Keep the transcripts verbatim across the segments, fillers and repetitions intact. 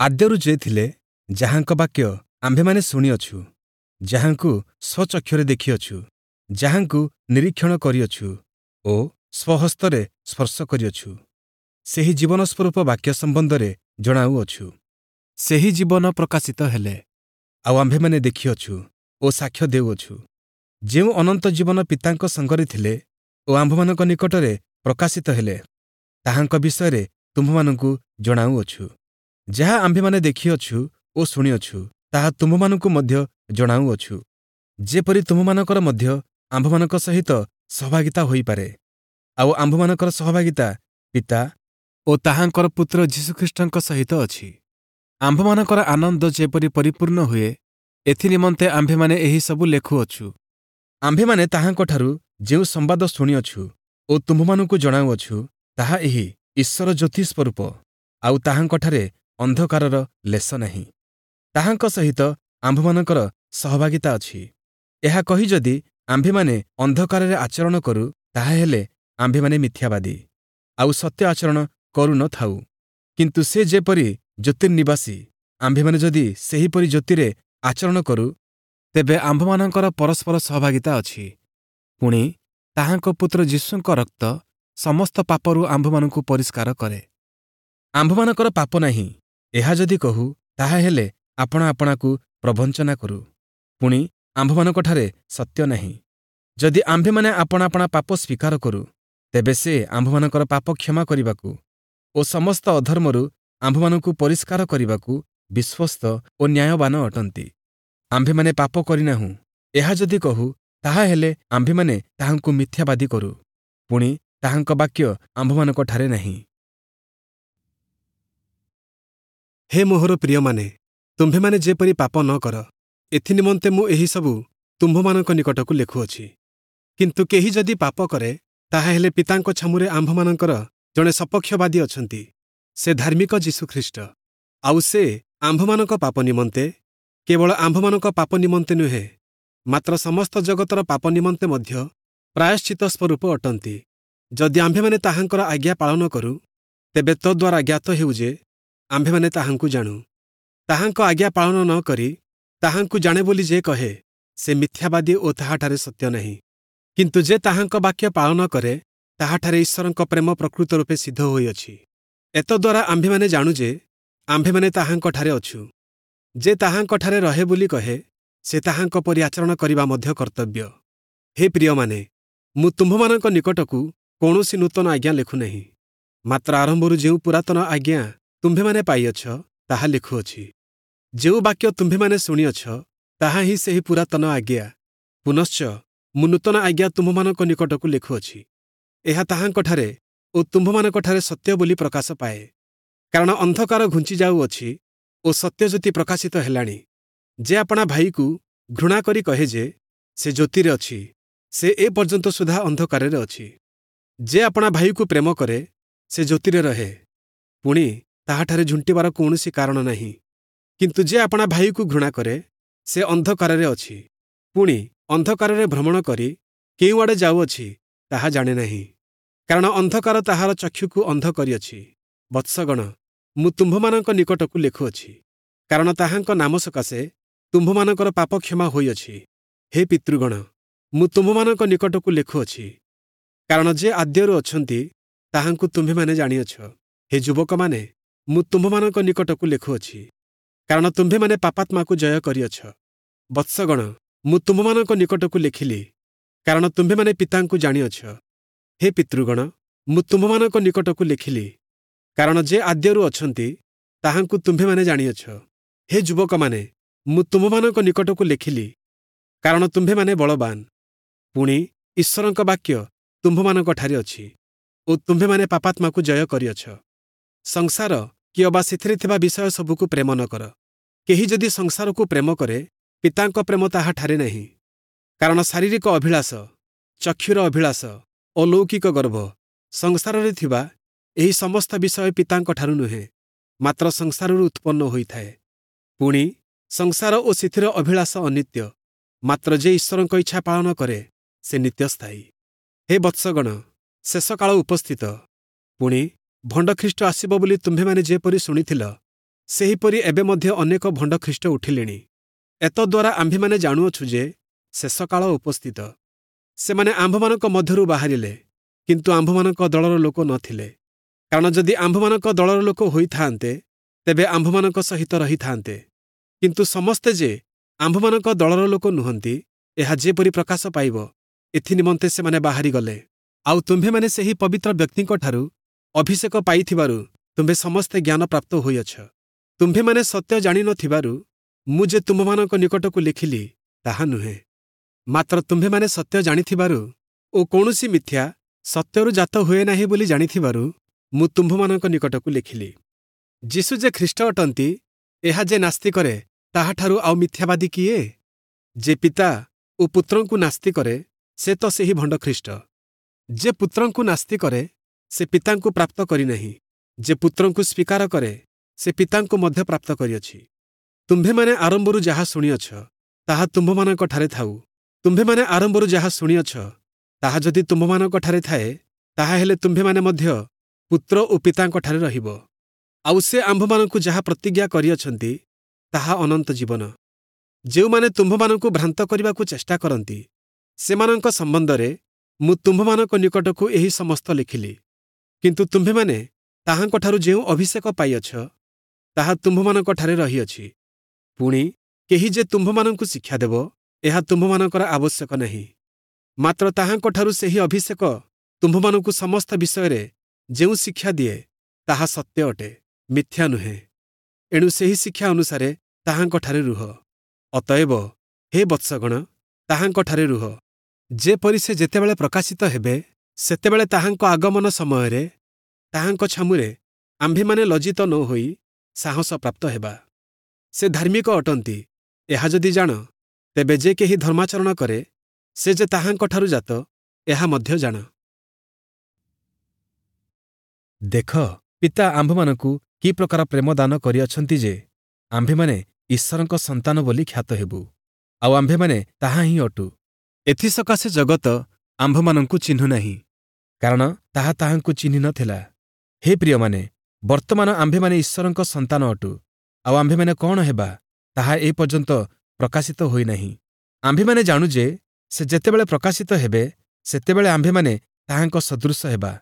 ଆଦ୍ୟରୁ ଯେ ଥିଲେ, ଯାହାଙ୍କ ବାକ୍ୟ ଆମ୍ଭେମାନେ ଶୁଣିଅଛୁ, ଯାହାଙ୍କୁ ସ୍ୱଚକ୍ଷୁରେ ଦେଖିଅଛୁ, ଯାହାଙ୍କୁ ନିରୀକ୍ଷଣ କରିଅଛୁ ଓ ସ୍ୱହସ୍ତରେ ସ୍ପର୍ଶ କରିଅଛୁ, ସେହି ଜୀବନସ୍ୱରୂପ ବାକ୍ୟ ସମ୍ବନ୍ଧରେ ଜଣାଉଅଛୁ। ସେହି ଜୀବନ ପ୍ରକାଶିତ ହେଲେ, ଆଉ ଆମ୍ଭେମାନେ ଦେଖିଅଛୁ ଓ ସାକ୍ଷ୍ୟ ଦେଉଅଛୁ। ଯେଉଁ ଅନନ୍ତ ଜୀବନ ପିତାଙ୍କ ସଙ୍ଗରେ ଥିଲେ ଓ ଆମ୍ଭମାନଙ୍କ ନିକଟରେ ପ୍ରକାଶିତ ହେଲେ, ତାହାଙ୍କ ବିଷୟରେ ତୁମ୍ଭମାନଙ୍କୁ ଜଣାଉଅଛୁ। ଯାହା ଆମ୍ଭେମାନେ ଦେଖିଅଛୁ ଓ ଶୁଣିଅଛୁ, ତାହା ତୁମ୍ଭମାନଙ୍କୁ ମଧ୍ୟ ଜଣାଉଅଛୁ, ଯେପରି ତୁମ୍ଭମାନଙ୍କର ମଧ୍ୟ ଆମ୍ଭମାନଙ୍କ ସହିତ ସହଭାଗିତା ହୋଇପାରେ। ଆଉ ଆମ୍ଭମାନଙ୍କର ସହଭାଗିତା ପିତା ଓ ତାହାଙ୍କର ପୁତ୍ର ଯୀଶୁଖ୍ରୀଷ୍ଟଙ୍କ ସହିତ ଅଛି। ଆମ୍ଭମାନଙ୍କର ଆନନ୍ଦ ଯେପରି ପରିପୂର୍ଣ୍ଣ ହୁଏ, ଏଥିନିମନ୍ତେ ଆମ୍ଭେମାନେ ଏହିସବୁ ଲେଖୁଅଛୁ। ଆମ୍ଭେମାନେ ତାହାଙ୍କଠାରୁ ଯେଉଁ ସମ୍ବାଦ ଶୁଣିଅଛୁ ଓ ତୁମ୍ଭମାନଙ୍କୁ ଜଣାଉଅଛୁ, ତାହା ଏହି: ଈଶ୍ୱର ଜ୍ୟୋତି ସ୍ୱରୂପ, ଆଉ ତାହାଙ୍କଠାରେ ଅନ୍ଧକାରର ଲେଶ ନାହିଁ। ତାହାଙ୍କ ସହିତ ଆମ୍ଭମାନଙ୍କର ସହଭାଗିତା ଅଛି। ଏହା କହି ଯଦି ଆମ୍ଭେମାନେ ଅନ୍ଧକାରରେ ଆଚରଣ କରୁ, ତାହାହେଲେ ଆମ୍ଭେମାନେ ମିଥ୍ୟାବାଦୀ ଆଉ ସତ୍ୟ ଆଚରଣ କରୁନଥାଉ। କିନ୍ତୁ ସେ ଯେପରି ଜ୍ୟୋତିର୍ନିବାସୀ, ଆମ୍ଭେମାନେ ଯଦି ସେହିପରି ଜ୍ୟୋତିରେ ଆଚରଣ କରୁ, ତେବେ ଆମ୍ଭମାନଙ୍କର ପରସ୍ପର ସହଭାଗିତା ଅଛି। ପୁଣି ତାହାଙ୍କ ପୁତ୍ର ଯୀଶୁଙ୍କ ରକ୍ତ ସମସ୍ତ ପାପରୁ ଆମ୍ଭମାନଙ୍କୁ ପରିଷ୍କାର କରେ। ଆମ୍ଭମାନଙ୍କର ପାପ ନାହିଁ, ଏହା ଯଦି କହୁ, ତାହାହେଲେ ଆପଣା ଆପଣାକୁ ପ୍ରବଞ୍ଚନା କରୁ, ପୁଣି ଆମ୍ଭମାନଙ୍କଠାରେ ସତ୍ୟ ନାହିଁ। ଯଦି ଆମ୍ଭେମାନେ ଆପଣା ଆପଣା ପାପ ସ୍ୱୀକାର କରୁ, ତେବେ ସେ ଆମ୍ଭମାନଙ୍କର ପାପ କ୍ଷମା କରିବାକୁ ଓ ସମସ୍ତ ଅଧର୍ମରୁ ଆମ୍ଭମାନଙ୍କୁ ପରିଷ୍କାର କରିବାକୁ ବିଶ୍ୱସ୍ତ ଓ ନ୍ୟାୟବାନ ଅଟନ୍ତି। ଆମ୍ଭେମାନେ ପାପ କରିନାହୁଁ, ଏହା ଯଦି କହୁ, ତାହାହେଲେ ଆମ୍ଭେମାନେ ତାହାଙ୍କୁ ମିଥ୍ୟାବାଦୀ କରୁ, ପୁଣି ତାହାଙ୍କ ବାକ୍ୟ ଆମ୍ଭମାନଙ୍କଠାରେ ନାହିଁ। ହେ ମୋହର ପ୍ରିୟମାନେ, ତୁମ୍ଭେମାନେ ଯେପରି ପାପ ନ କର, ଏଥିନିମନ୍ତେ ମୁଁ ଏହିସବୁ ତୁମ୍ଭମାନଙ୍କ ନିକଟକୁ ଲେଖୁଅଛି। କିନ୍ତୁ କେହି ଯଦି ପାପ କରେ, ତାହାହେଲେ ପିତାଙ୍କ ଛାମୁରେ ଆମ୍ଭମାନଙ୍କର ଜଣେ ସପକ୍ଷବାଦୀ ଅଛନ୍ତି, ସେ ଧାର୍ମିକ ଯୀଶୁଖ୍ରୀଷ୍ଟ। ଆଉ ସେ ଆମ୍ଭମାନଙ୍କ ପାପ ନିମନ୍ତେ, କେବଳ ଆମ୍ଭମାନଙ୍କ ପାପ ନିମନ୍ତେ ନୁହେଁ, ମାତ୍ର ସମସ୍ତ ଜଗତର ପାପ ନିମନ୍ତେ ମଧ୍ୟ ପ୍ରାୟଶ୍ଚିତ ସ୍ୱରୂପ ଅଟନ୍ତି। ଯଦି ଆମ୍ଭେମାନେ ତାହାଙ୍କର ଆଜ୍ଞା ପାଳନ କରୁ, ତେବେ ତଦ୍ୱାରା ଜ୍ଞାତ ହେଉ ଯେ ଆମ୍ଭେମାନେ ତାହାଙ୍କୁ ଜାଣୁ। ତାହାଙ୍କ ଆଜ୍ଞା ପାଳନ ନ କରି ତାହାଙ୍କୁ ଜାଣେ ବୋଲି ଯେ କହେ, ସେ ମିଥ୍ୟାବାଦୀ ଓ ତାହାଠାରେ ସତ୍ୟ ନାହିଁ। କିନ୍ତୁ ଯେ ତାହାଙ୍କ ବାକ୍ୟ ପାଳନ କରେ, ତାହାଠାରେ ଈଶ୍ୱରଙ୍କ ପ୍ରେମ ପ୍ରକୃତ ରୂପେ ସିଦ୍ଧ ହୋଇଅଛି। ଏତଦ୍ୱାରା ଆମ୍ଭେମାନେ ଜାଣୁ ଯେ ଆମ୍ଭେମାନେ ତାହାଙ୍କଠାରେ ଅଛୁ। ଯେ ତାହାଙ୍କଠାରେ ରହେ ବୋଲି କହେ, ସେ ତାହାଙ୍କ ପରି ଆଚରଣ କରିବା ମଧ୍ୟ କର୍ତ୍ତବ୍ୟ। ହେ ପ୍ରିୟମାନେ, ମୁଁ ତୁମ୍ଭମାନଙ୍କ ନିକଟକୁ କୌଣସି ନୂତନ ଆଜ୍ଞା ଲେଖୁନାହିଁ, ମାତ୍ର ଆରମ୍ଭରୁ ଯେଉଁ ପୁରାତନ ଆଜ୍ଞା ତୁମ୍ଭେମାନେ ପାଇଅଛ, ତାହା ଲେଖୁଅଛି। ଯେଉଁ ବାକ୍ୟ ତୁମ୍ଭେମାନେ ଶୁଣିଅଛ, ତାହା ହିଁ ସେହି ପୁରାତନ ଆଜ୍ଞା। ପୁନଶ୍ଚ ମୁଁ ନୂତନ ଆଜ୍ଞା ତୁମ୍ଭମାନଙ୍କ ନିକଟକୁ ଲେଖୁଅଛି। ଏହା ତାହାଙ୍କଠାରେ ଓ ତୁମ୍ଭମାନଙ୍କଠାରେ ସତ୍ୟ ବୋଲି ପ୍ରକାଶ ପାଏ, କାରଣ ଅନ୍ଧକାର ଘୁଞ୍ଚି ଯାଉଅଛି ଓ ସତ୍ୟଜ୍ୟୋତି ପ୍ରକାଶିତ ହେଲାଣି। ଯେ ଆପଣା ଭାଇକୁ ଘୃଣା କରି କହେ ଯେ ସେ ଜ୍ୟୋତିରେ ଅଛି, ସେ ଏ ପର୍ଯ୍ୟନ୍ତ ସୁଦ୍ଧା ଅନ୍ଧକାରରେ ଅଛି। ଯେ ଆପଣା ଭାଇକୁ ପ୍ରେମ କରେ, ସେ ଜ୍ୟୋତିରେ ରହେ, ପୁଣି ତାହାଠାରେ ଝୁଣ୍ଟିବାର କୌଣସି କାରଣ ନାହିଁ। କିନ୍ତୁ ଯେ ଆପଣା ଭାଇକୁ ଘୃଣା କରେ, ସେ ଅନ୍ଧକାରରେ ଅଛି, ପୁଣି ଅନ୍ଧକାରରେ ଭ୍ରମଣ କରି କେଉଁଆଡ଼େ ଯାଉଅଛି ତାହା ଜାଣେ ନାହିଁ, କାରଣ ଅନ୍ଧକାର ତାହାର ଚକ୍ଷୁକୁ ଅନ୍ଧ କରିଅଛି। ବତ୍ସଗଣ, ମୁଁ ତୁମ୍ଭମାନଙ୍କ ନିକଟକୁ ଲେଖୁଅଛି, କାରଣ ତାହାଙ୍କ ନାମ ସକାଶେ ତୁମ୍ଭମାନଙ୍କର ପାପ କ୍ଷମା ହୋଇଅଛି। ହେ ପିତୃଗଣ, ମୁଁ ତୁମ୍ଭମାନଙ୍କ ନିକଟକୁ ଲେଖୁଅଛି, କାରଣ ଯେ ଆଦ୍ୟରୁ ଅଛନ୍ତି ତାହାଙ୍କୁ ତୁମ୍ଭେମାନେ ଜାଣିଅଛ। ହେ ଯୁବକମାନେ, ମୁଁ ତୁମ୍ଭମାନଙ୍କ ନିକଟକୁ ଲେଖୁଅଛି, କାରଣ ତୁମ୍ଭେମାନେ ପାପାତ୍ମାକୁ ଜୟ କରିଅଛ। ବତ୍ସଗଣ, ମୁଁ ତୁମ୍ଭମାନଙ୍କ ନିକଟକୁ ଲେଖିଲି, କାରଣ ତୁମ୍ଭେମାନେ ପିତାଙ୍କୁ ଜାଣିଅଛ। ହେ ପିତୃଗଣ, ମୁଁ ତୁମ୍ଭମାନଙ୍କ ନିକଟକୁ ଲେଖିଲି, କାରଣ ଯେ ଆଦ୍ୟରୁ ଅଛନ୍ତି ତାହାଙ୍କୁ ତୁମ୍ଭେମାନେ ଜାଣିଅଛ। ହେ ଯୁବକମାନେ, ମୁଁ ତୁମ୍ଭମାନଙ୍କ ନିକଟକୁ ଲେଖିଲି, କାରଣ ତୁମ୍ଭେମାନେ ବଳବାନ, ପୁଣି ଈଶ୍ୱରଙ୍କ ବାକ୍ୟ ତୁମ୍ଭମାନଙ୍କଠାରେ ଅଛି ଓ ତୁମ୍ଭେମାନେ ପାପାତ୍ମାକୁ ଜୟ କରିଅଛ। ସଂସାର କି ଅବା ସେଥିରେ ଥିବା ବିଷୟ ସବୁକୁ ପ୍ରେମ ନ କର। କେହି ଯଦି ସଂସାରକୁ ପ୍ରେମ କରେ, ପିତାଙ୍କ ପ୍ରେମ ତାହାଠାରେ ନାହିଁ। କାରଣ ଶାରୀରିକ ଅଭିଳାଷ, ଚକ୍ଷୁର ଅଭିଳାଷ ଓ ଲୌକିକ ଗର୍ବ, ସଂସାରରେ ଥିବା ଏହି ସମସ୍ତ ବିଷୟ ପିତାଙ୍କଠାରୁ ନୁହେଁ, ମାତ୍ର ସଂସାରରୁ ଉତ୍ପନ୍ନ ହୋଇଥାଏ। ପୁଣି ସଂସାର ଓ ସେଥିର ଅଭିଳାଷ ଅନିତ୍ୟ, ମାତ୍ର ଯେ ଈଶ୍ୱରଙ୍କ ଇଚ୍ଛା ପାଳନ କରେ, ସେ ନିତ୍ୟସ୍ଥାୟୀ। ହେ ବତ୍ସଗଣ, ଶେଷ କାଳ ଉପସ୍ଥିତ। ପୁଣି ଭଣ୍ଡଖ୍ରୀଷ୍ଟ ଆସିବ ବୋଲି ତୁମ୍ଭେମାନେ ଯେପରି ଶୁଣିଥିଲ, ସେହିପରି ଏବେ ମଧ୍ୟ ଅନେକ ଭଣ୍ଡ ଖ୍ରୀଷ୍ଟ ଉଠିଲେଣି। ଏତଦ୍ୱାରା ଆମ୍ଭେମାନେ ଜାଣୁଅଛୁ ଯେ ଶେଷକାଳ ଉପସ୍ଥିତ। ସେମାନେ ଆମ୍ଭମାନଙ୍କ ମଧ୍ୟରୁ ବାହାରିଲେ, କିନ୍ତୁ ଆମ୍ଭମାନଙ୍କ ଦଳର ଲୋକ ନଥିଲେ। କାରଣ ଯଦି ଆମ୍ଭମାନଙ୍କ ଦଳର ଲୋକ ହୋଇଥାନ୍ତେ, ତେବେ ଆମ୍ଭମାନଙ୍କ ସହିତ ରହିଥାନ୍ତେ। କିନ୍ତୁ ସମସ୍ତେ ଯେ ଆମ୍ଭମାନଙ୍କ ଦଳର ଲୋକ ନୁହନ୍ତି, ଏହା ଯେପରି ପ୍ରକାଶ ପାଇବ, ଏଥିନିମନ୍ତେ ସେମାନେ ବାହାରିଗଲେ। ଆଉ ତୁମ୍ଭେମାନେ ସେହି ପବିତ୍ର ବ୍ୟକ୍ତିଙ୍କଠାରୁ ଅଭିଷେକ ପାଇଥିବାରୁ ତୁମ୍ଭେ ସମସ୍ତେ ଜ୍ଞାନ ପ୍ରାପ୍ତ ହୋଇଅଛ। ତୁମ୍ଭେମାନେ ସତ୍ୟ ଜାଣିନଥିବାରୁ ମୁଁ ଯେ ତୁମ୍ଭମାନଙ୍କ ନିକଟକୁ ଲେଖିଲି, ତାହା ନୁହେଁ। ମାତ୍ର ତୁମ୍ଭେମାନେ ସତ୍ୟ ଜାଣିଥିବାରୁ ଓ କୌଣସି ମିଥ୍ୟା ସତ୍ୟରୁ ଜାତ ହୁଏ ନାହିଁ ବୋଲି ଜାଣିଥିବାରୁ ମୁଁ ତୁମ୍ଭମାନଙ୍କ ନିକଟକୁ ଲେଖିଲି। ଯୀଶୁ ଯେ ଖ୍ରୀଷ୍ଟ ଅଟନ୍ତି, ଏହା ଯେ ନାସ୍ତି କରେ, ତାହାଠାରୁ ଆଉ ମିଥ୍ୟାବାଦୀ କିଏ? ଯେ ପିତା ଓ ପୁତ୍ରଙ୍କୁ ନାସ୍ତି କରେ, ସେ ତ ସେହି ଭଣ୍ଡ ଖ୍ରୀଷ୍ଟ। ଯେ ପୁତ୍ରଙ୍କୁ ନାସ୍ତି କରେ, ସେ ପିତାଙ୍କୁ ପ୍ରାପ୍ତ କରିନାହିଁ। ଯେ ପୁତ୍ରଙ୍କୁ ସ୍ୱୀକାର କରେ, ସେ ପିତାଙ୍କୁ ମଧ୍ୟ ପ୍ରାପ୍ତ କରିଅଛି। ତୁମ୍ଭେମାନେ ଆରମ୍ଭରୁ ଯାହା ଶୁଣିଅଛ, ତାହା ତୁମ୍ଭମାନଙ୍କଠାରେ ଥାଉ। ତୁମ୍ଭେମାନେ ଆରମ୍ଭରୁ ଯାହା ଶୁଣିଅଛ, ତାହା ଯଦି ତୁମ୍ଭମାନଙ୍କଠାରେ ଥାଏ, ତାହାହେଲେ ତୁମ୍ଭେମାନେ ମଧ୍ୟ ପୁତ୍ର ଓ ପିତାଙ୍କଠାରେ ରହିବ। ଆଉ ସେ ଆମ୍ଭମାନଙ୍କୁ ଯାହା ପ୍ରତିଜ୍ଞା କରିଅଛନ୍ତି, ତାହା ଅନନ୍ତ ଜୀବନ। ଯେଉଁମାନେ ତୁମ୍ଭମାନଙ୍କୁ ଭ୍ରାନ୍ତ କରିବାକୁ ଚେଷ୍ଟା କରନ୍ତି, ସେମାନଙ୍କ ସମ୍ବନ୍ଧରେ ମୁଁ ତୁମ୍ଭମାନଙ୍କ ନିକଟକୁ ଏହି ସମସ୍ତ ଲେଖିଲି। କିନ୍ତୁ ତୁମ୍ଭେମାନେ ତାହାଙ୍କଠାରୁ ଯେଉଁ ଅଭିଷେକ ପାଇଅଛ, ତାହା ତୁମ୍ଭମାନଙ୍କଠାରେ ରହିଅଛି। ପୁଣି କେହି ଯେ ତୁମ୍ଭମାନଙ୍କୁ ଶିକ୍ଷା ଦେବ, ଏହା ତୁମ୍ଭମାନଙ୍କର ଆବଶ୍ୟକ ନାହିଁ। ମାତ୍ର ତାହାଙ୍କଠାରୁ ସେହି ଅଭିଷେକ ତୁମ୍ଭମାନଙ୍କୁ ସମସ୍ତ ବିଷୟରେ ଯେଉଁ ଶିକ୍ଷା ଦିଏ, ତାହା ସତ୍ୟ ଅଟେ, ମିଥ୍ୟା ନୁହେଁ। ଏଣୁ ସେହି ଶିକ୍ଷା ଅନୁସାରେ ତାହାଙ୍କଠାରେ ରୁହ। ଅତଏବ ହେ ବତ୍ସଗଣ, ତାହାଙ୍କଠାରେ ରୁହ, ଯେପରି ସେ ଯେତେବେଳେ ପ୍ରକାଶିତ ହେବେ, ସେତେବେଳେ ତାହାଙ୍କ ଆଗମନ ସମୟରେ ତାହାଙ୍କ ଛାମୁରେ ଆମ୍ଭେମାନେ ଲଜ୍ଜିତ ନ ହୋଇ ସାହସ ପ୍ରାପ୍ତ ହେବା। ସେ ଧାର୍ମିକ ଅଟନ୍ତି, ଏହା ଯଦି ଜାଣ, ତେବେ ଯେ କେହି ଧର୍ମାଚରଣ କରେ, ସେ ଯେ ତାହାଙ୍କଠାରୁ ଜାତ, ଏହା ମଧ୍ୟ ଜାଣ। ଦେଖ, ପିତା ଆମ୍ଭମାନଙ୍କୁ କି ପ୍ରକାର ପ୍ରେମ ଦାନ କରିଅଛନ୍ତି ଯେ ଆମ୍ଭେମାନେ ଈଶ୍ୱରଙ୍କ ସନ୍ତାନ ବୋଲି ଖ୍ୟାତ ହେବୁ, ଆଉ ଆମ୍ଭେମାନେ ତାହା ହିଁ ଅଟୁ। ଏଥିସକାଶେ ଜଗତ ଆମ୍ଭମାନଙ୍କୁ ଚିହ୍ନୁ ନାହିଁ, କାରଣ ତାହା ତାହାଙ୍କୁ ଚିହ୍ନି ନଥିଲା। ହେ ପ୍ରିୟମାନେ, ବର୍ତ୍ତମାନ ଆମ୍ଭେମାନେ ଈଶ୍ୱରଙ୍କ ସନ୍ତାନ ଅଟୁ, ଆଉ ଆମ୍ଭେମାନେ କ'ଣ ହେବା, ତାହା ଏ ପର୍ଯ୍ୟନ୍ତ ପ୍ରକାଶିତ ହୋଇନାହିଁ। ଆମ୍ଭେମାନେ ଜାଣୁ ଯେ ସେ ଯେତେବେଳେ ପ୍ରକାଶିତ ହେବେ, ସେତେବେଳେ ଆମ୍ଭେମାନେ ତାହାଙ୍କ ସଦୃଶ ହେବା,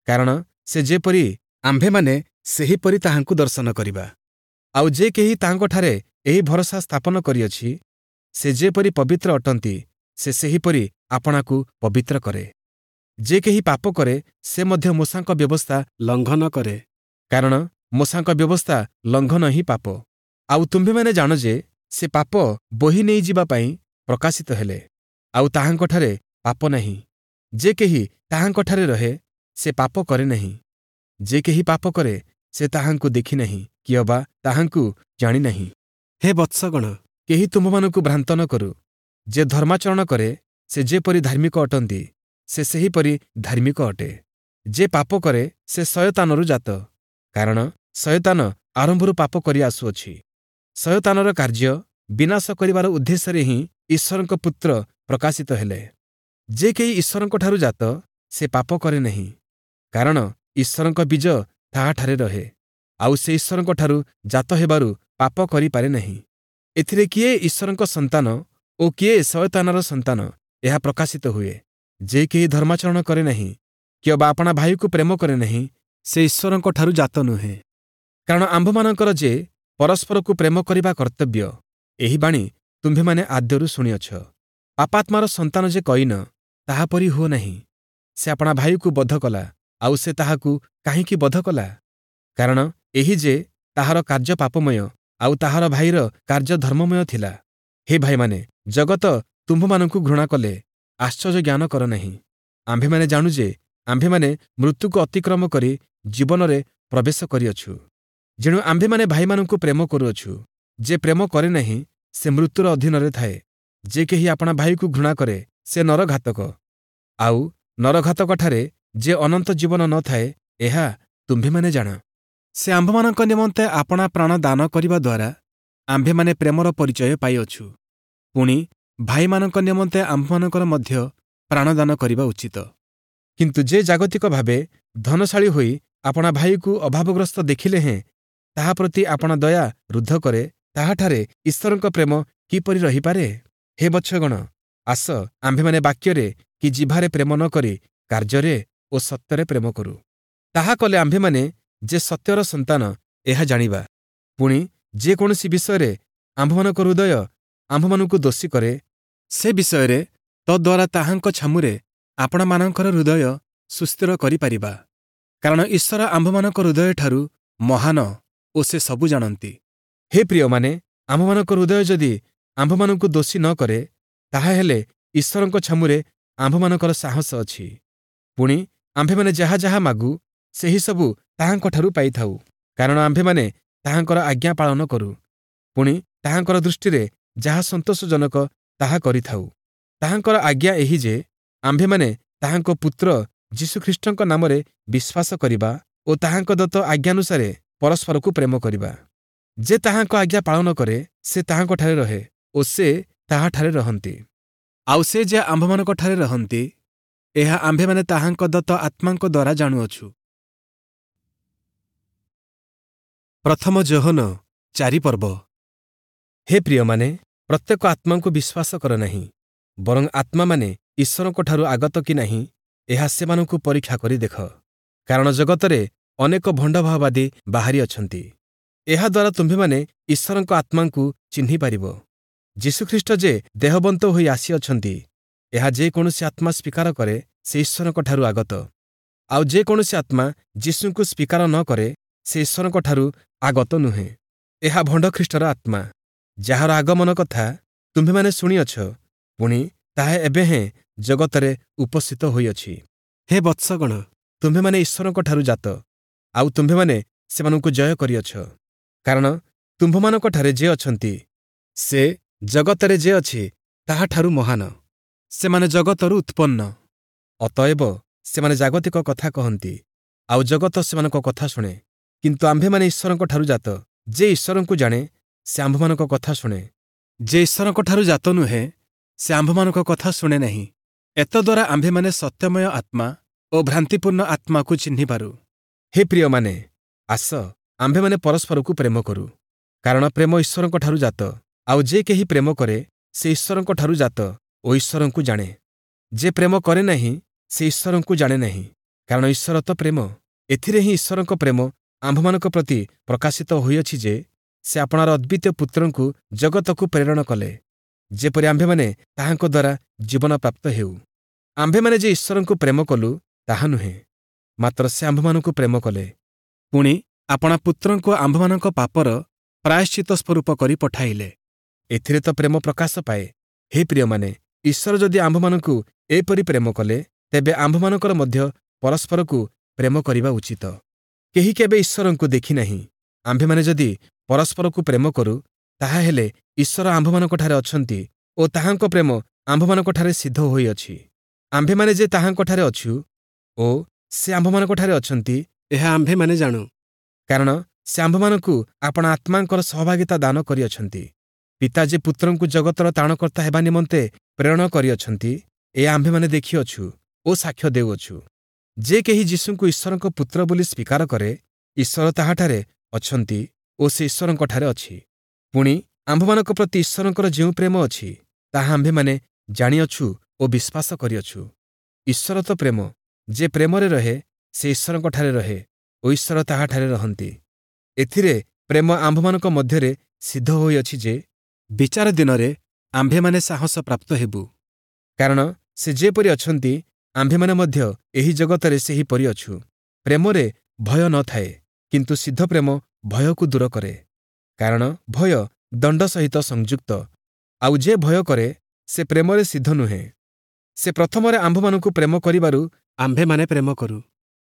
କାରଣ ସେ ଯେପରି ଆମ୍ଭେମାନେ ସେହିପରି ତାହାଙ୍କୁ ଦର୍ଶନ କରିବା। ଆଉ ଯେ କେହି ତାହାଙ୍କଠାରେ ଏହି ଭରସା ସ୍ଥାପନ କରିଅଛି, ସେ ଯେପରି ପବିତ୍ର ଅଟନ୍ତି, ସେ ସେହିପରି ଆପଣାକୁ ପବିତ୍ର କରେ। ଯେ କେହି ପାପ କରେ, ସେ ମଧ୍ୟ ମୋଶାଙ୍କ ବ୍ୟବସ୍ଥା ଲଙ୍ଘନ କରେ, କାରଣ ମୋଶାଙ୍କ ବ୍ୟବସ୍ଥା ଲଙ୍ଘନ ହିଁ ପାପ। ଆଉ ତୁମ୍ଭେମାନେ ଜାଣ ଯେ ସେ ପାପ ବୋହି ନେଇଯିବା ପାଇଁ ପ୍ରକାଶିତ ହେଲେ, ଆଉ ତାହାଙ୍କଠାରେ ପାପ ନାହିଁ। ଯେ କେହି ତାହାଙ୍କଠାରେ ରହେ, ସେ ପାପ କରେ ନାହିଁ। ଯେ କେହି ପାପ କରେ, ସେ ତାହାଙ୍କୁ ଦେଖିନାହିଁ କିଅବା ତାହାଙ୍କୁ ଜାଣିନାହିଁ। ହେ ବତ୍ସଗଣ, କେହି ତୁମ୍ଭମାନଙ୍କୁ ଭ୍ରାନ୍ତ ନ କରୁ। ଯେ ଧର୍ମାଚରଣ କରେ, ସେ ଯେପରି ଧାର୍ମିକ ଅଟନ୍ତି, ସେ ସେହିପରି ଧାର୍ମିକ ଅଟେ। ଯେ ପାପ କରେ, ସେ ଶୟତାନରୁ ଜାତ, କାରଣ ଶୟତାନ ଆରମ୍ଭରୁ ପାପ କରି ଆସୁଅଛି। ଶୟତାନର କାର୍ଯ୍ୟ ବିନାଶ କରିବାର ଉଦ୍ଦେଶ୍ୟରେ ହିଁ ଈଶ୍ୱରଙ୍କ ପୁତ୍ର ପ୍ରକାଶିତ ହେଲେ। ଯେ କେହି ଈଶ୍ୱରଙ୍କଠାରୁ ଜାତ, ସେ ପାପ କରେ ନାହିଁ, କାରଣ ଈଶ୍ୱରଙ୍କ ବୀଜ ତାହାଠାରେ ରହେ, ଆଉ ସେ ଈଶ୍ୱରଙ୍କଠାରୁ ଜାତ ହେବାରୁ ପାପ କରିପାରେ ନାହିଁ। ଏଥିରେ କିଏ ଈଶ୍ୱରଙ୍କ ସନ୍ତାନ ଓ କିଏ ଶୟତାନର ସନ୍ତାନ, ଏହା ପ୍ରକାଶିତ ହୁଏ। ଯେ କେହି ଧର୍ମାଚରଣ କରେ ନାହିଁ କିଅବା ଆପଣା ଭାଇକୁ ପ୍ରେମ କରେ ନାହିଁ, ସେ ଈଶ୍ୱରଙ୍କଠାରୁ ଜାତ ନୁହେଁ। କାରଣ ଆମ୍ଭମାନଙ୍କର ଯେ ପରସ୍ପରକୁ ପ୍ରେମ କରିବା କର୍ତ୍ତବ୍ୟ, ଏହି ବାଣୀ ତୁମ୍ଭେମାନେ ଆଦ୍ୟରୁ ଶୁଣିଅଛ। ପାପାତ୍ମାର ସନ୍ତାନ ଯେ କଇନ, ତାହାପରି ହୁଅ ନାହିଁ। ସେ ଆପଣା ଭାଇକୁ ବଧ କଲା, ଆଉ ସେ ତାହାକୁ କାହିଁକି ବଧ କଲା? କାରଣ ଏହି ଯେ ତାହାର କାର୍ଯ୍ୟ ପାପମୟ, ଆଉ ତାହାର ଭାଇର କାର୍ଯ୍ୟ ଧର୍ମମୟ ଥିଲା। ହେ ଭାଇମାନେ, ଜଗତ ତୁମ୍ଭମାନଙ୍କୁ ଘୃଣା କଲେ ଆଶ୍ଚର୍ଯ୍ୟ ଜ୍ଞାନ କର ନାହିଁ। ଆମ୍ଭେମାନେ ଜାଣୁ ଯେ ଆମ୍ଭେମାନେ ମୃତ୍ୟୁକୁ ଅତିକ୍ରମ କରି ଜୀବନରେ ପ୍ରବେଶ କରିଅଛୁ। ଯେଣୁ ଆମ୍ଭେମାନେ ଭାଇମାନଙ୍କୁ ପ୍ରେମ କରୁଅଛୁ। ଯେ ପ୍ରେମ କରେ ନାହିଁ, ସେ ମୃତ୍ୟୁର ଅଧୀନରେ ଥାଏ। ଯେ କେହି ଆପଣା ଭାଇକୁ ଘୃଣା କରେ, ସେ ନରଘାତକ, ଆଉ ନରଘାତକଠାରେ ଯେ ଅନନ୍ତ ଜୀବନ ନ ଥାଏ, ଏହା ତୁମ୍ଭେମାନେ ଜାଣ। ସେ ଆମ୍ଭମାନଙ୍କ ନିମନ୍ତେ ଆପଣା ପ୍ରାଣ ଦାନ କରିବା ଦ୍ୱାରା ଆମ୍ଭେମାନେ ପ୍ରେମର ପରିଚୟ ପାଇଅଛୁ। ପୁଣି ଭାଇମାନଙ୍କ ନିମନ୍ତେ ଆମ୍ଭମାନଙ୍କର ମଧ୍ୟ ପ୍ରାଣଦାନ କରିବା ଉଚିତ। କିନ୍ତୁ ଯେ ଜାଗତିକ ଭାବେ ଧନଶାଳୀ ହୋଇ ଆପଣା ଭାଇକୁ ଅଭାବଗ୍ରସ୍ତ ଦେଖିଲେ ହେଁ ତାହା ପ୍ରତି ଆପଣା ଦୟା ରୁଦ୍ଧ କରେ, ତାହାଠାରେ ଈଶ୍ୱରଙ୍କ ପ୍ରେମ କିପରି ରହିପାରେ? ହେ ବତ୍ସଗଣ, ଆସ ଆମ୍ଭେମାନେ ବାକ୍ୟରେ କି ଜିହ୍ବାରେ ପ୍ରେମ ନ କରି କାର୍ଯ୍ୟରେ ଓ ସତ୍ୟରେ ପ୍ରେମ କରୁ। ତାହା କଲେ ଆମ୍ଭେମାନେ ଯେ ସତ୍ୟର ସନ୍ତାନ, ଏହା ଜାଣିବା। ପୁଣି ଯେକୌଣସି ବିଷୟରେ ଆମ୍ଭମାନଙ୍କ ହୃଦୟ ଆମ୍ଭମାନଙ୍କୁ ଦୋଷୀ କରେ, ସେ ବିଷୟରେ ତଦ୍ୱାରା ତାହାଙ୍କ ଛାମୁରେ ଆପଣାମାନଙ୍କର ହୃଦୟ ସୁସ୍ଥିର କରିପାରିବା। କାରଣ ଈଶ୍ୱର ଆମ୍ଭମାନଙ୍କ ହୃଦୟଠାରୁ ମହାନ ଓ ସେ ସବୁ ଜାଣନ୍ତି। ହେ ପ୍ରିୟମାନେ, ଆମ୍ଭମାନଙ୍କ ହୃଦୟ ଯଦି ଆମ୍ଭମାନଙ୍କୁ ଦୋଷୀ ନ କରେ, ତାହାହେଲେ ଈଶ୍ୱରଙ୍କ ଛାମୁରେ ଆମ୍ଭମାନଙ୍କର ସାହସ ଅଛି। ପୁଣି ଆମ୍ଭେମାନେ ଯାହା ଯାହା ମାଗୁ, ସେହିସବୁ ତାହାଙ୍କଠାରୁ ପାଇଥାଉ, କାରଣ ଆମ୍ଭେମାନେ ତାହାଙ୍କର ଆଜ୍ଞା ପାଳନ କରୁ, ପୁଣି ତାହାଙ୍କର ଦୃଷ୍ଟିରେ ଯାହା ସନ୍ତୋଷଜନକ ତାହା କରିଥାଉ। ତାହାଙ୍କର ଆଜ୍ଞା ଏହି ଯେ, ଆମ୍ଭେମାନେ ତାହାଙ୍କ ପୁତ୍ର ଯୀଶୁଖ୍ରୀଷ୍ଟଙ୍କ ନାମରେ ବିଶ୍ୱାସ କରିବା ଓ ତାହାଙ୍କ ଦତ୍ତ ଆଜ୍ଞାନୁସାରେ ପରସ୍ପରକୁ ପ୍ରେମ କରିବା। ଯେ ତାହାଙ୍କ ଆଜ୍ଞା ପାଳନ କରେ, ସେ ତାହାଙ୍କଠାରେ ରହେ ଓ ସେ ତାହାଠାରେ ରହନ୍ତି। ଆଉ ସେ ଯେ ଆମ୍ଭମାନଙ୍କଠାରେ ରହନ୍ତି, ଏହା ଆମ୍ଭେମାନେ ତାହାଙ୍କ ଦତ୍ତ ଆତ୍ମାଙ୍କ ଦ୍ୱାରା ଜାଣୁଅଛୁ। ପ୍ରଥମ ଯୋହନ ଚାରି ପର୍ବ। ହେ ପ୍ରିୟମାନେ, ପ୍ରତ୍ୟେକ ଆତ୍ମାଙ୍କୁ ବିଶ୍ୱାସ କର ନାହିଁ, ବରଂ ଆତ୍ମାମାନେ ଈଶ୍ୱରଙ୍କଠାରୁ ଆଗତ କି ନାହିଁ, ଏହା ସେମାନଙ୍କୁ ପରୀକ୍ଷା କରି ଦେଖ। କାରଣ ଜଗତରେ ଅନେକ ଭଣ୍ଡଭାବବାଦୀ ବାହାରି ଅଛନ୍ତି। ଏହାଦ୍ୱାରା ତୁମ୍ଭେମାନେ ଈଶ୍ୱରଙ୍କ ଆତ୍ମାଙ୍କୁ ଚିହ୍ନିପାରିବ। ଯୀଶୁଖ୍ରୀଷ୍ଟ ଯେ ଦେହବନ୍ତ ହୋଇ ଆସିଅଛନ୍ତି, ଏହା ଯେକୌଣସି ଆତ୍ମା ସ୍ୱୀକାର କରେ, ସେ ଈଶ୍ୱରଙ୍କଠାରୁ ଆଗତ। ଆଉ ଯେକୌଣସି ଆତ୍ମା ଯୀଶୁଙ୍କୁ ସ୍ୱୀକାର ନ କରେ, ସେ ଈଶ୍ୱରଙ୍କଠାରୁ ଆଗତ ନୁହେଁ। ଏହା ଭଣ୍ଡଖ୍ରୀଷ୍ଟର ଆତ୍ମା, ଯାହାର ଆଗମନ କଥା ତୁମ୍ଭେମାନେ ଶୁଣିଅଛ, ପୁଣି ତାହା ଏବେ ହେଁ ଜଗତରେ ଉପସ୍ଥିତ ହୋଇଅଛି। ହେ ବତ୍ସଗଣ, ତୁମ୍ଭେମାନେ ଈଶ୍ୱରଙ୍କଠାରୁ ଜାତ, ଆଉ ତୁମ୍ଭେମାନେ ସେମାନଙ୍କୁ ଜୟ କରିଅଛ, କାରଣ ତୁମ୍ଭମାନଙ୍କଠାରେ ଯେ ଅଛନ୍ତି, ସେ ଜଗତରେ ଯେ ଅଛି ତାହାଠାରୁ ମହାନ। ସେମାନେ ଜଗତରୁ ଉତ୍ପନ୍ନ, ଅତଏବ ସେମାନେ ଜାଗତିକ କଥା କହନ୍ତି, ଆଉ ଜଗତ ସେମାନଙ୍କ କଥା ଶୁଣେ। କିନ୍ତୁ ଆମ୍ଭେମାନେ ଈଶ୍ୱରଙ୍କଠାରୁ ଜାତ। ଯେ ଈଶ୍ୱରଙ୍କୁ ଜାଣେ, ସେ ଆମ୍ଭମାନଙ୍କ କଥା ଶୁଣେ। ଯେ ଈଶ୍ୱରଙ୍କଠାରୁ ଜାତ ନୁହେଁ, ସେ ଆମ୍ଭମାନଙ୍କ କଥା ଶୁଣେ ନାହିଁ। ଏତଦ୍ୱାରା ଆମ୍ଭେମାନେ ସତ୍ୟମୟ ଆତ୍ମା ଓ ଭ୍ରାନ୍ତିପୂର୍ଣ୍ଣ ଆତ୍ମାକୁ ଚିହ୍ନିପାରୁ। ହେ ପ୍ରିୟମାନେ, ଆସ ଆମ୍ଭେମାନେ ପରସ୍ପରକୁ ପ୍ରେମ କରୁ, କାରଣ ପ୍ରେମ ଈଶ୍ୱରଙ୍କଠାରୁ ଜାତ। ଆଉ ଯେ କେହି ପ୍ରେମ କରେ, ସେ ଈଶ୍ୱରଙ୍କଠାରୁ ଜାତ ଓ ଈଶ୍ୱରଙ୍କୁ ଜାଣେ। ଯେ ପ୍ରେମ କରେ ନାହିଁ, ସେ ଈଶ୍ୱରଙ୍କୁ ଜାଣେ ନାହିଁ, କାରଣ ଈଶ୍ୱର ତ ପ୍ରେମ। ଏଥିରେ ହିଁ ଈଶ୍ୱରଙ୍କ ପ୍ରେମ ଆମ୍ଭମାନଙ୍କ ପ୍ରତି ପ୍ରକାଶିତ ହୋଇଅଛି ଯେ, ସେ ଆପଣାର ଅଦ୍ୱିତୀୟ ପୁତ୍ରଙ୍କୁ ଜଗତକୁ ପ୍ରେରଣ କଲେ, ଯେପରି ଆମ୍ଭେମାନେ ତାହାଙ୍କ ଦ୍ୱାରା ଜୀବନ ପ୍ରାପ୍ତ ହେଉ। ଆମ୍ଭେମାନେ ଯେ ଈଶ୍ୱରଙ୍କୁ ପ୍ରେମ କଲୁ ତାହା ନୁହେଁ, ମାତ୍ର ସେ ଆମ୍ଭମାନଙ୍କୁ ପ୍ରେମ କଲେ, ପୁଣି ଆପଣା ପୁତ୍ରଙ୍କୁ ଆମ୍ଭମାନଙ୍କ ପାପର ପ୍ରାୟଶ୍ଚିତ ସ୍ୱରୂପ କରି ପଠାଇଲେ। ଏଥିରେ ତ ପ୍ରେମ ପ୍ରକାଶ ପାଏ। ହେ ପ୍ରିୟମାନେ, ଈଶ୍ୱର ଯଦି ଆମ୍ଭମାନଙ୍କୁ ଏପରି ପ୍ରେମ କଲେ, ତେବେ ଆମ୍ଭମାନଙ୍କର ମଧ୍ୟ ପରସ୍ପରକୁ ପ୍ରେମ କରିବା ଉଚିତ। କେହି କେବେ ଈଶ୍ୱରଙ୍କୁ ଦେଖିନାହିଁ। ଆମ୍ଭେମାନେ ଯଦି ପରସ୍ପରକୁ ପ୍ରେମ କରୁ, ତାହାହେଲେ ଈଶ୍ୱର ଆମ୍ଭମାନଙ୍କଠାରେ ଅଛନ୍ତି ଓ ତାହାଙ୍କ ପ୍ରେମ ଆମ୍ଭମାନଙ୍କଠାରେ ସିଦ୍ଧ ହୋଇଅଛି। ଆମ୍ଭେମାନେ ଯେ ତାହାଙ୍କଠାରେ ଅଛୁ ଓ ସେ ଆମ୍ଭମାନଙ୍କଠାରେ ଅଛନ୍ତି, ଏହା ଆମ୍ଭେମାନେ ଜାଣୁ, କାରଣ ସେ ଆମ୍ଭମାନଙ୍କୁ ଆପଣା ଆତ୍ମାଙ୍କର ସହଭାଗିତା ଦାନ କରିଅଛନ୍ତି। ପିତା ଯେ ପୁତ୍ରଙ୍କୁ ଜଗତର ତ୍ରାଣକର୍ତ୍ତା ହେବା ନିମନ୍ତେ ପ୍ରେରଣ କରିଅଛନ୍ତି, ଏହା ଆମ୍ଭେମାନେ ଦେଖିଅଛୁ ଓ ସାକ୍ଷ୍ୟ ଦେଉଅଛୁ। ଯେ କେହି ଯୀଶୁଙ୍କୁ ଈଶ୍ୱରଙ୍କ ପୁତ୍ର ବୋଲି ସ୍ୱୀକାର କରେ, ଈଶ୍ୱର ତାହାଠାରେ ଅଛନ୍ତି ଓ ସେ ଈଶ୍ୱରଙ୍କଠାରେ ଅଛି। ପୁଣି ଆମ୍ଭମାନଙ୍କ ପ୍ରତି ଈଶ୍ୱରଙ୍କର ଯେଉଁ ପ୍ରେମ ଅଛି, ତାହା ଆମ୍ଭେମାନେ ଜାଣିଅଛୁ ଓ ବିଶ୍ୱାସ କରିଅଛୁ। ଈଶ୍ୱର ତ ପ୍ରେମ। ଯେ ପ୍ରେମରେ ରହେ, ସେ ଈଶ୍ୱରଙ୍କଠାରେ ରହେ ଓ ଈଶ୍ୱର ତାହାଠାରେ ରହନ୍ତି। ଏଥିରେ ପ୍ରେମ ଆମ୍ଭମାନଙ୍କ ମଧ୍ୟରେ ସିଦ୍ଧ ହୋଇଅଛି ଯେ, ବିଚାର ଦିନରେ ଆମ୍ଭେମାନେ ସାହସ ପ୍ରାପ୍ତ ହେବୁ, କାରଣ ସେ ଯେପରି ଅଛନ୍ତି, ଆମ୍ଭେମାନେ ମଧ୍ୟ ଏହି ଜଗତରେ ସେହିପରି ଅଛୁ। ପ୍ରେମରେ ଭୟ ନ ଥାଏ, କିନ୍ତୁ ସିଦ୍ଧ ପ୍ରେମ ଭୟକୁ ଦୂର କରେ, କାରଣ ଭୟ ଦଣ୍ଡ ସହିତ ସଂଯୁକ୍ତ। ଆଉ ଯେ ଭୟ କରେ, ସେ ପ୍ରେମରେ ସିଦ୍ଧ ନୁହେଁ। ସେ ପ୍ରଥମରେ ଆମ୍ଭମାନଙ୍କୁ ପ୍ରେମ କରିବାରୁ ଆମ୍ଭେମାନେ ପ୍ରେମ କରୁ।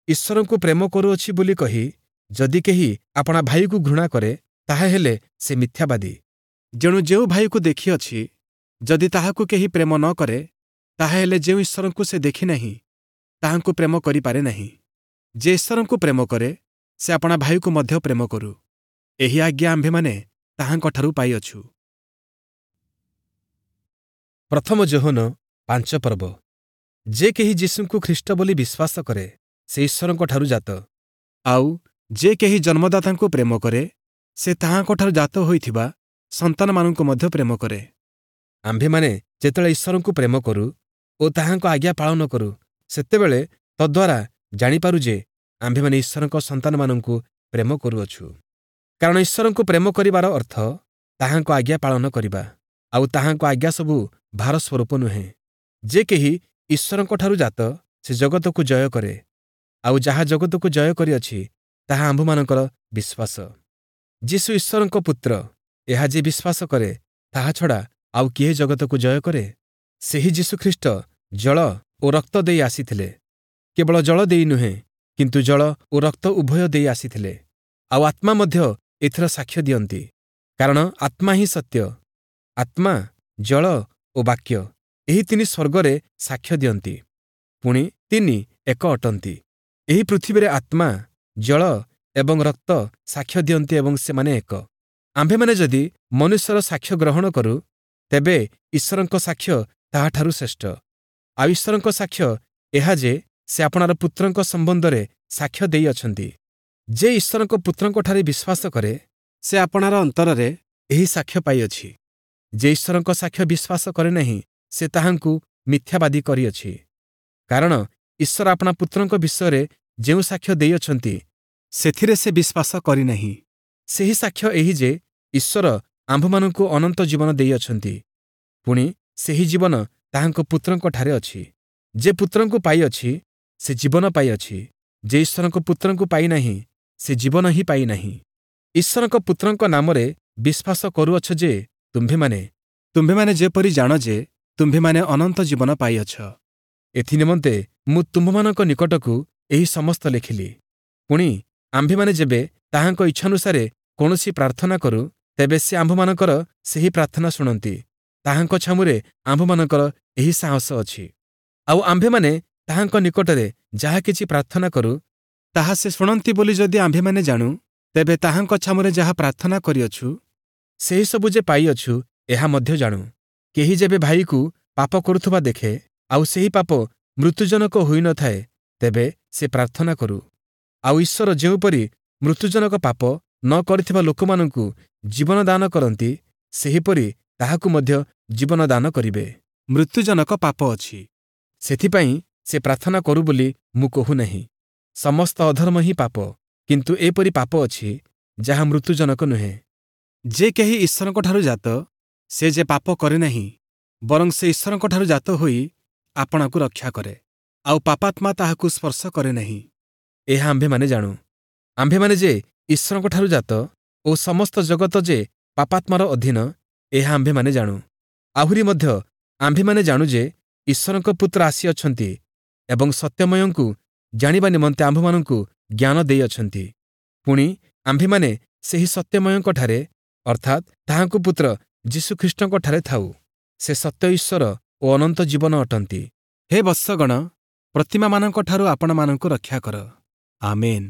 ଈଶ୍ୱରଙ୍କୁ ପ୍ରେମ କରୁଅଛି ବୋଲି କହି ଯଦି କେହି ଆପଣା ଭାଇକୁ ଘୃଣା କରେ, ତାହାହେଲେ ସେ ମିଥ୍ୟାବାଦୀ। ଯେଣୁ ଯେଉଁ ଭାଇକୁ ଦେଖିଅଛି, ଯଦି ତାହାକୁ କେହି ପ୍ରେମ ନ କରେ, ତାହାହେଲେ ଯେଉଁ ଈଶ୍ୱରଙ୍କୁ ସେ ଦେଖିନାହିଁ, ତାହାଙ୍କୁ ପ୍ରେମ କରିପାରେ ନାହିଁ। ଯେ ଈଶ୍ୱରଙ୍କୁ ପ୍ରେମ କରେ, ସେ ଆପଣା ଭାଇକୁ ମଧ୍ୟ ପ୍ରେମ କରୁ। ଏହି ଆଜ୍ଞା ଆମ୍ଭେମାନେ ତାହାଙ୍କଠାରୁ ପାଇଅଛୁ। ପ୍ରଥମ ଯୋହନ ପାଞ୍ଚ ପର୍ବ। ଯେ କେହି ଯୀଶୁଙ୍କୁ ଖ୍ରୀଷ୍ଟ ବୋଲି ବିଶ୍ୱାସ କରେ, ସେ ଈଶ୍ୱରଙ୍କଠାରୁ ଜାତ। ଆଉ ଯେ କେହି ଜନ୍ମଦାତାଙ୍କୁ ପ୍ରେମ କରେ, ସେ ତାହାଙ୍କଠାରୁ ଜାତ ହୋଇଥିବା ସନ୍ତାନମାନଙ୍କୁ ମଧ୍ୟ ପ୍ରେମ କରେ। ଆମ୍ଭେମାନେ ଯେତେବେଳେ ଈଶ୍ୱରଙ୍କୁ ପ୍ରେମ କରୁ ଓ ତାହାଙ୍କ ଆଜ୍ଞା ପାଳନ କରୁ, ସେତେବେଳେ ତଦ୍ୱାରା ଜାଣିପାରୁ ଯେ ଆମ୍ଭେମାନେ ଈଶ୍ୱରଙ୍କ ସନ୍ତାନମାନଙ୍କୁ ପ୍ରେମ କରୁଅଛୁ। କାରଣ ଈଶ୍ୱରଙ୍କୁ ପ୍ରେମ କରିବାର ଅର୍ଥ ତାହାଙ୍କ ଆଜ୍ଞା ପାଳନ କରିବା, ଆଉ ତାହାଙ୍କ ଆଜ୍ଞା ସବୁ ଭାର ସ୍ୱରୂପ ନୁହେଁ। ଯେ କେହି ଈଶ୍ୱରଙ୍କଠାରୁ ଜାତ, ସେ ଜଗତକୁ ଜୟ କରେ, ଆଉ ଯାହା ଜଗତକୁ ଜୟ କରିଅଛି ତାହା ଆମ୍ଭମାନଙ୍କର ବିଶ୍ୱାସ। ଯୀଶୁ ଈଶ୍ୱରଙ୍କ ପୁତ୍ର, ଏହା ଯେ ବିଶ୍ୱାସ କରେ ତାହା ଛଡ଼ା ଆଉ କିଏ ଜଗତକୁ ଜୟ କରେ? ସେହି ଯୀଶୁଖ୍ରୀଷ୍ଟ ଜଳ ଓ ରକ୍ତ ଦେଇ ଆସିଥିଲେ, କେବଳ ଜଳ ଦେଇ ନୁହେଁ, କିନ୍ତୁ ଜଳ ଓ ରକ୍ତ ଉଭୟ ଦେଇ ଆସିଥିଲେ। ଆଉ ଆତ୍ମା ମଧ୍ୟ ଏଥିର ସାକ୍ଷ୍ୟ ଦିଅନ୍ତି, କାରଣ ଆତ୍ମା ହିଁ ସତ୍ୟ। ଆତ୍ମା, ଜଳ ଓ ବାକ୍ୟ, ଏହି ତିନି ସ୍ୱର୍ଗରେ ସାକ୍ଷ୍ୟ ଦିଅନ୍ତି, ପୁଣି ତିନି ଏକ ଅଟନ୍ତି। ଏହି ପୃଥିବୀରେ ଆତ୍ମା, ଜଳ ଏବଂ ରକ୍ତ ସାକ୍ଷ୍ୟ ଦିଅନ୍ତି ଏବଂ ସେମାନେ ଏକ। ଆମ୍ଭେମାନେ ଯଦି ମନୁଷ୍ୟର ସାକ୍ଷ୍ୟ ଗ୍ରହଣ କରୁ, ତେବେ ଈଶ୍ୱରଙ୍କ ସାକ୍ଷ୍ୟ ତାହାଠାରୁ ଶ୍ରେଷ୍ଠ। ଆଉ ଈଶ୍ୱରଙ୍କ ସାକ୍ଷ୍ୟ ଏହା ଯେ ସେ ଆପଣାର ପୁତ୍ରଙ୍କ ସମ୍ବନ୍ଧରେ ସାକ୍ଷ୍ୟ ଦେଇଅଛନ୍ତି। ଯେ ଈଶ୍ୱରଙ୍କ ପୁତ୍ରଙ୍କଠାରେ ବିଶ୍ୱାସ କରେ, ସେ ଆପଣାର ଅନ୍ତରରେ ଏହି ସାକ୍ଷ୍ୟ ପାଇଅଛି। ଯେ ଈଶ୍ୱରଙ୍କ ସାକ୍ଷ୍ୟ ବିଶ୍ୱାସ କରେ ନାହିଁ, ସେ ତାହାଙ୍କୁ ମିଥ୍ୟାବାଦୀ କରିଅଛି, କାରଣ ଈଶ୍ୱର ଆପଣା ପୁତ୍ରଙ୍କ ବିଷୟରେ ଯେଉଁ ସାକ୍ଷ୍ୟ ଦେଇଅଛନ୍ତି, ସେଥିରେ ସେ ବିଶ୍ୱାସ କରିନାହିଁ। ସେହି ସାକ୍ଷ୍ୟ ଏହି ଯେ ଈଶ୍ୱର ଆମ୍ଭମାନଙ୍କୁ ଅନନ୍ତ ଜୀବନ ଦେଇଅଛନ୍ତି, ପୁଣି ସେହି ଜୀବନ ତାହାଙ୍କ ପୁତ୍ରଙ୍କଠାରେ ଅଛି। ଯେ ପୁତ୍ରଙ୍କୁ ପାଇଅଛି, ସେ ଜୀବନ ପାଇଅଛି। ଯେ ଈଶ୍ୱରଙ୍କ ପୁତ୍ରଙ୍କୁ ପାଇନାହିଁ, ସେ ଜୀବନ ହିଁ ପାଇନାହିଁ। ଈଶ୍ୱରଙ୍କ ପୁତ୍ରଙ୍କ ନାମରେ ବିଶ୍ୱାସ କରୁଅଛ ଯେ ତୁମ୍ଭେମାନେ, ତୁମ୍ଭେମାନେ ଯେପରି ଜାଣ ଯେ ତୁମ୍ଭେମାନେ ଅନନ୍ତ ଜୀବନ ପାଇଅଛ। ଏଥିନିମନ୍ତେ ମୁଁ ତୁମ୍ଭମାନଙ୍କ ନିକଟକୁ ଏହି ସମସ୍ତ ଲେଖିଲି। ପୁଣି ଆମ୍ଭେମାନେ ଯେବେ ତାହାଙ୍କ ଇଚ୍ଛାନୁସାରେ କୌଣସି ପ୍ରାର୍ଥନା କରୁ, ତେବେ ସେ ଆମ୍ଭମାନଙ୍କର ସେହି ପ୍ରାର୍ଥନା ଶୁଣନ୍ତି। ତାହାଙ୍କ ଛାମୁରେ ଆମ୍ଭମାନଙ୍କର ଏହି ସାହସ ଅଛି। ଆଉ ଆମ୍ଭେମାନେ ତାହାଙ୍କ ନିକଟରେ ଯାହା କିଛି ପ୍ରାର୍ଥନା କରୁ, ତାହା ସେ ଶୁଣନ୍ତି ବୋଲି ଯଦି ଆମ୍ଭେମାନେ ଜାଣୁ, ତେବେ ତାହାଙ୍କ ଛାମୁରେ ଯାହା ପ୍ରାର୍ଥନା କରିଅଛୁ, ସେହିସବୁ ଯେ ପାଇଅଛୁ, ଏହା ମଧ୍ୟ ଜାଣୁ। କେହି ଯେବେ ଭାଇକୁ ପାପ କରୁଥିବା ଦେଖେ, ଆଉ ସେହି ପାପ ମୃତ୍ୟୁଜନକ ହୋଇନଥାଏ, ତେବେ ସେ ପ୍ରାର୍ଥନା କରୁ, ଆଉ ଈଶ୍ୱର ଯେଉଁପରି ମୃତ୍ୟୁଜନକ ପାପ ନ କରିଥିବା ଲୋକମାନଙ୍କୁ ଜୀବନ ଦାନ କରନ୍ତି, ସେହିପରି ତାହାକୁ ମଧ୍ୟ ଜୀବନ ଦାନ କରିବେ। ମୃତ୍ୟୁଜନକ ପାପ ଅଛି, ସେଥିପାଇଁ ସେ ପ୍ରାର୍ଥନା କରୁ ବୋଲି ମୁଁ କହୁନାହିଁ। ସମସ୍ତ ଅଧର୍ମ ହିଁ ପାପ, କିନ୍ତୁ ଏପରି ପାପ ଅଛି ଯାହା ମୃତ୍ୟୁଜନକ ନୁହେଁ। ଯେ କେହି ଈଶ୍ୱରଙ୍କଠାରୁ ଜାତ, ସେ ଯେ ପାପ କରେ ନାହିଁ, ବରଂ ସେ ଈଶ୍ୱରଙ୍କଠାରୁ ଜାତ ହୋଇ ଆପଣାକୁ ରକ୍ଷା କରେ, ଆଉ ପାପାତ୍ମା ତାହାକୁ ସ୍ପର୍ଶ କରେ ନାହିଁ। ଏହା ଆମ୍ଭେମାନେ ଜାଣୁ। ଆମ୍ଭେମାନେ ଯେ ଈଶ୍ୱରଙ୍କଠାରୁ ଜାତ ଓ ସମସ୍ତ ଜଗତ ଯେ ପାପାତ୍ମାର ଅଧୀନ, ଏହା ଆମ୍ଭେମାନେ ଜାଣୁ। ଆହୁରି ମଧ୍ୟ ଆମ୍ଭେମାନେ ଜାଣୁ ଯେ ଈଶ୍ୱରଙ୍କ ପୁତ୍ର ଆସିଅଛନ୍ତି ଏବଂ ସତ୍ୟମୟଙ୍କୁ ଜାଣିବା ନିମନ୍ତେ ଆମ୍ଭମାନଙ୍କୁ ଜ୍ଞାନ ଦେଇଅଛନ୍ତି। ପୁଣି ଆମ୍ଭେମାନେ ସେହି ସତ୍ୟମୟଙ୍କଠାରେ, ଅର୍ଥାତ୍ ତାହାଙ୍କ ପୁତ୍ର ଯୀଶୁଖ୍ରୀଷ୍ଟଙ୍କଠାରେ ଥାଉ। ସେ ସତ୍ୟ ଈଶ୍ୱର ଓ ଅନନ୍ତ ଜୀବନ ଅଟନ୍ତି। ହେ ବତ୍ସଗଣ, ପ୍ରତିମାମାନଙ୍କଠାରୁ ଆପଣମାନଙ୍କୁ ରକ୍ଷା କର। ଆମେନ୍।